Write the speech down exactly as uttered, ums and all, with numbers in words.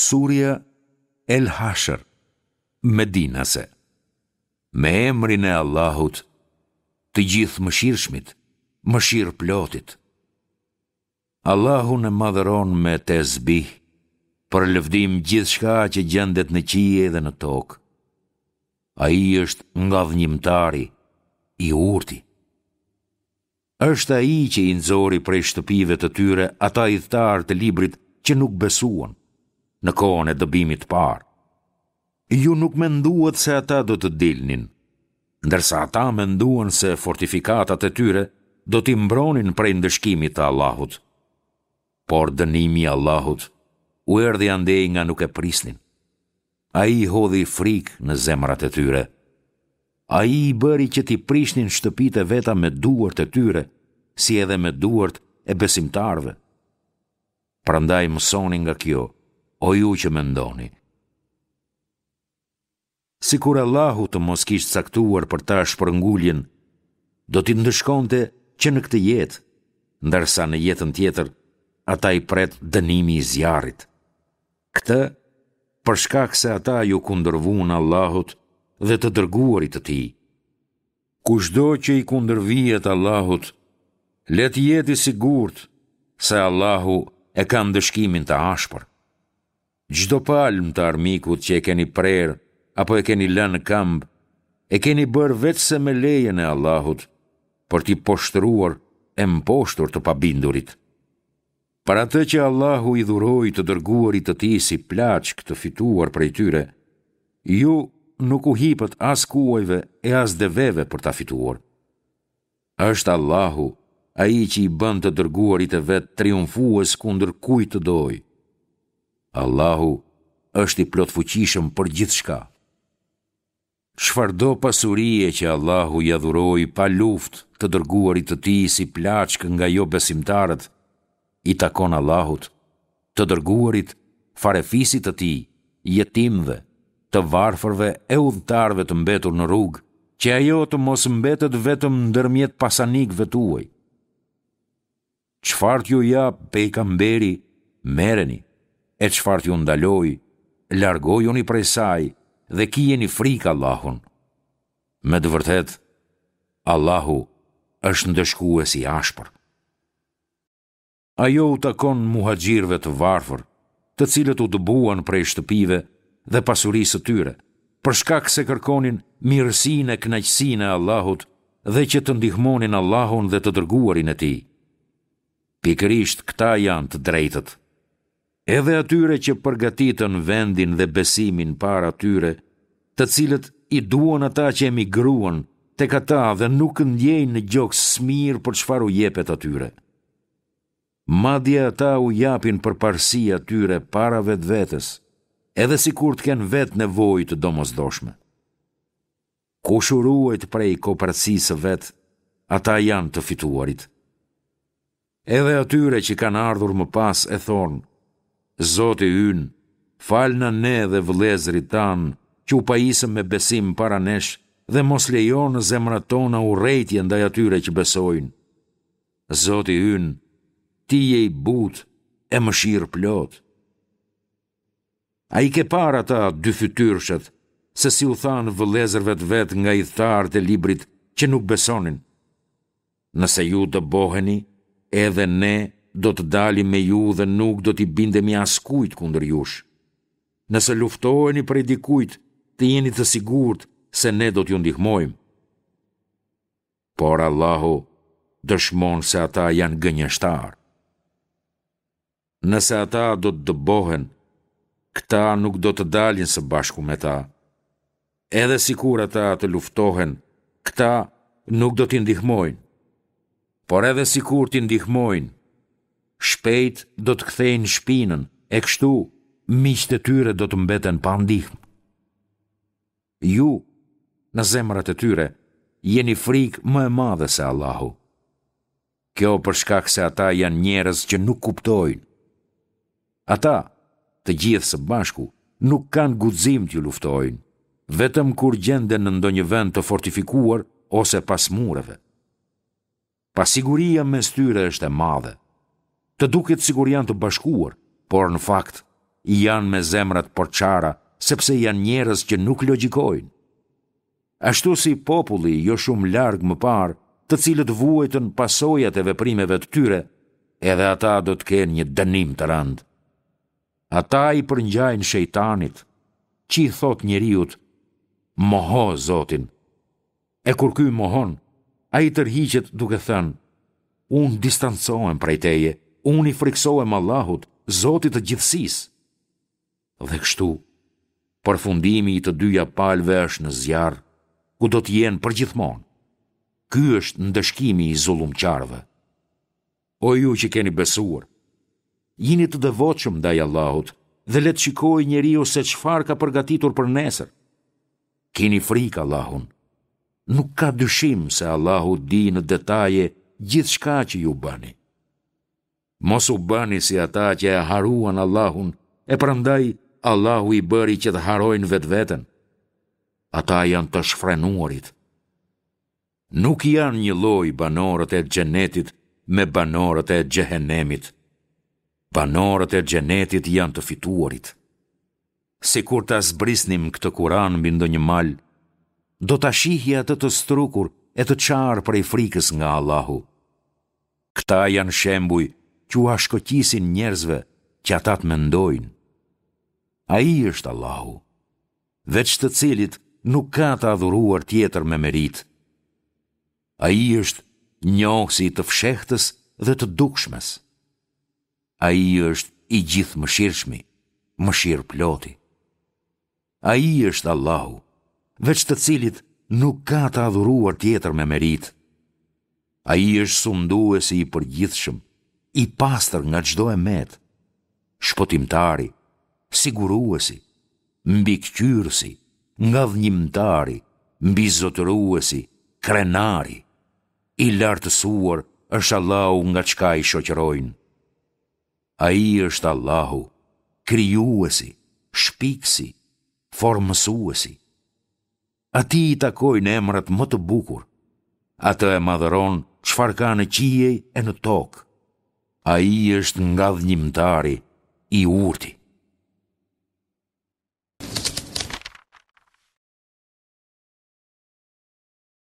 Surja El Hashr, Medinase. Me emrin e Allahut, të Gjithëmëshirshmit, Mëshirëplotit. Allahun e madhëron me tesbih, përlëvdim gjithçka që gjendet në qiej dhe në tokë. Ai është ngadhënjimtari, i urti. Është Ai që i nxori prej shtëpive të tyre ata ithtarë të librit që nuk besuan, në kohën e dëbimit të parë. Ju nuk menduat se ata do të dilnin, ndërsa ata menduan se fortifikatat e tyre do t'i mbronin prej ndëshkimit të Allahut. Por dënimi i Allahut u erdhi andej nga nuk e prisnin. Ai hodhi frikë në zemrat e tyre. Ai i bëri që t'i prishnin shtëpitë e veta me duart e tyre, si edhe me duart e besimtarëve. Prandaj mësoni nga kjo, o ju që mendoni. Sikur Allahu të mos kish caktuar për ta shpërnguljen, do t'i ndëshkonte që në këtë jetë, ndërsa në jetën tjetër ata i pret dënimi i zjarrit. Këtë, për shkak se ata iu kundërvunë Allahut dhe të dërguarit të Tij. Kushdo që i kundërvihet Allahut, le të jetë i sigurt se Allahu e ka ndëshkimin të ashpër. Çdo palmë të armikut që e keni prerë apo e keni lënë në këmbë, e keni bërë veçse me lejen e Allahut, për t'i poshtëruar e mposhtur të pabindurit. Për atë që Allahu i dhuroi të dërguarit të Tij si plaçkë të fituar prej tyre, ju nuk u hipët as kuajve e as deveve për ta fituar. Është Allahu ai që i bën të dërguarit e vet triumfues kundër kujt të dojë. Allahu është i plotfuqishëm për gjithçka. Çfarëdo pasurie që Allahu ia dhuroi pa luftë të dërguarit të Tij si plaçkë nga jobesimtarët, i takon Allahut, të dërguarit, farefisit të Tij, jetimëve, të varfërve e udhëtarëve të mbetur në rrugë, që ajo të mos mbetet vetëm ndërmjet pasanikëve tuaj. Çfarë t'ju japë pejgamberi, merreni, e çfarë t'ju ndalojë, largojuni prej saj dhe kijeni frikë Allahun. Me të vërtetë, Allahu është ndëshkues i ashpër. Ajo u takon muhaxhirëve të varfër, të cilët u dëbuan prej shtëpive dhe pasurisë së tyre, për shkak se kërkonin mirësinë e kënaqësinë e Allahut dhe që të ndihmonin Allahun dhe të Dërguarin e Tij. Pikërisht këta janë të drejtët. Edhe atyre që përgatitën vendin dhe besimin para tyre, të cilët i duan ata që emigruan tek ata dhe nuk ndjejnë në gjoks smirë për çfarë u jepet atyre. Madje ata u japin përparësi atyre para vetvetes, edhe sikur të kenë vetë nevojë të domosdoshme. Kush u ruajt prej koprracisë së vet, ata janë të fituarit. Edhe atyre që kanë ardhur më pas e thonë, Zoti ynë, falna ne dhe vëllezërit tanë që u pajisëm me besim para nesh dhe mos lejo në zemrat tona urrejtje ndaj atyre që besojnë. Zoti ynë, Ti je i butë e mëshirëplotë. A i ke parë ata dyfytyrëshët, se si u thanë vëllezërve të vet nga ithtarët e librit që nuk besonin? Nëse ju dëboheni, edhe ne do të dalim me ju dhe nuk do t'i bindemi askujt kundër jush. Nëse luftoheni prej dikujt, të jeni të sigurt se ne do t'ju ndihmojmë. Por Allahu dëshmon se ata janë gënjeshtarë. Nëse ata do të dëbohen, këta nuk do të dalin së bashku me ta. Edhe sikur ata të luftohen, këta nuk do t'i ndihmojnë. Por edhe sikur t'i ndihmojnë, shpejt do të kthejnë shpinën, e kështu miqtë e tyre do të mbeten pa ndihmë. Ju, në zemrat e tyre, jeni frikë më e madhe se Allahu. Kjo për shkak se ata janë njerëz që nuk kuptojnë. Ata, të gjithë së bashku, nuk kanë guxim t'ju luftojnë, vetëm kur gjenden në ndonjë vend të fortifikuar ose pas mureve. Pasiguria mes tyre është e madhe. Të duket sikur janë të bashkuar, por në fakt janë me zemra të përçara, sepse janë njerëz që nuk logjikojnë. Ashtu si populli jo shumë larg më parë, të cilët vuajtën pasojat e veprimeve të tyre, edhe ata do të kenë një dënim të rëndë. Ata i përngjajnë shejtanit, që i thotë njeriut, moho Zotin. E kur ky mohon, ai tërhiqet duke thënë, unë distancohem prej teje, unë i frikësohem Allahut, Zotit të gjithësisë. Dhe kështu, përfundimi i të dyja palëve është në zjarr, ku do të jenë përgjithmonë. Ky është ndëshkimi i zullumqarëve. O ju që keni besuar, jini të devotshëm ndaj Allahut dhe le të shikojë njeriu se çfarë ka përgatitur për nesër. Kini frikë Allahun. Nuk ka dyshim se Allahu di në detaje gjithçka që ju bëni. Mos u bëni si ata që e harruan Allahun, e prandaj Allahu i bëri që të harrojnë vetveten. Ata janë të shfrenuarit. Nuk janë njëlloj banorët e xhenetit me banorët e xhehenemit. Banorët e xhenetit janë të fituarit. Sikur ta zbrisnim këtë Kuran mbi ndonjë mal, do ta shihje atë të strukur e të çarë prej frikës nga Allahu. Këta janë shembuj që ua shkoqisin njerëzve që ata të mendojnë. Ai është Allahu, veç të cilit nuk ka të adhuruar tjetër me meritë. Ai është njohësi i të fshehtës dhe të dukshmes. Ai është i gjithëmëshirshmi, mëshirëploti. Ai është Allahu, veç të cilit nuk ka të adhuruar tjetër me meritë. Ai është sunduesi i përgjithshëm, i pastër nga çdo e metë, shpëtimtari, siguruesi, mbikëqyrësi, ngadhënjimtari, mbizotëruesi, krenari. I lartësuar është Allahu nga çka i shoqërojnë. Ai është Allahu, krijuesi, shpikësi, formësuesi. Atij i takojnë emrat më të bukur. Atë e madhëron çfarë ka në qiej e në tokë. Ai është ngadhënjimtari, i urti.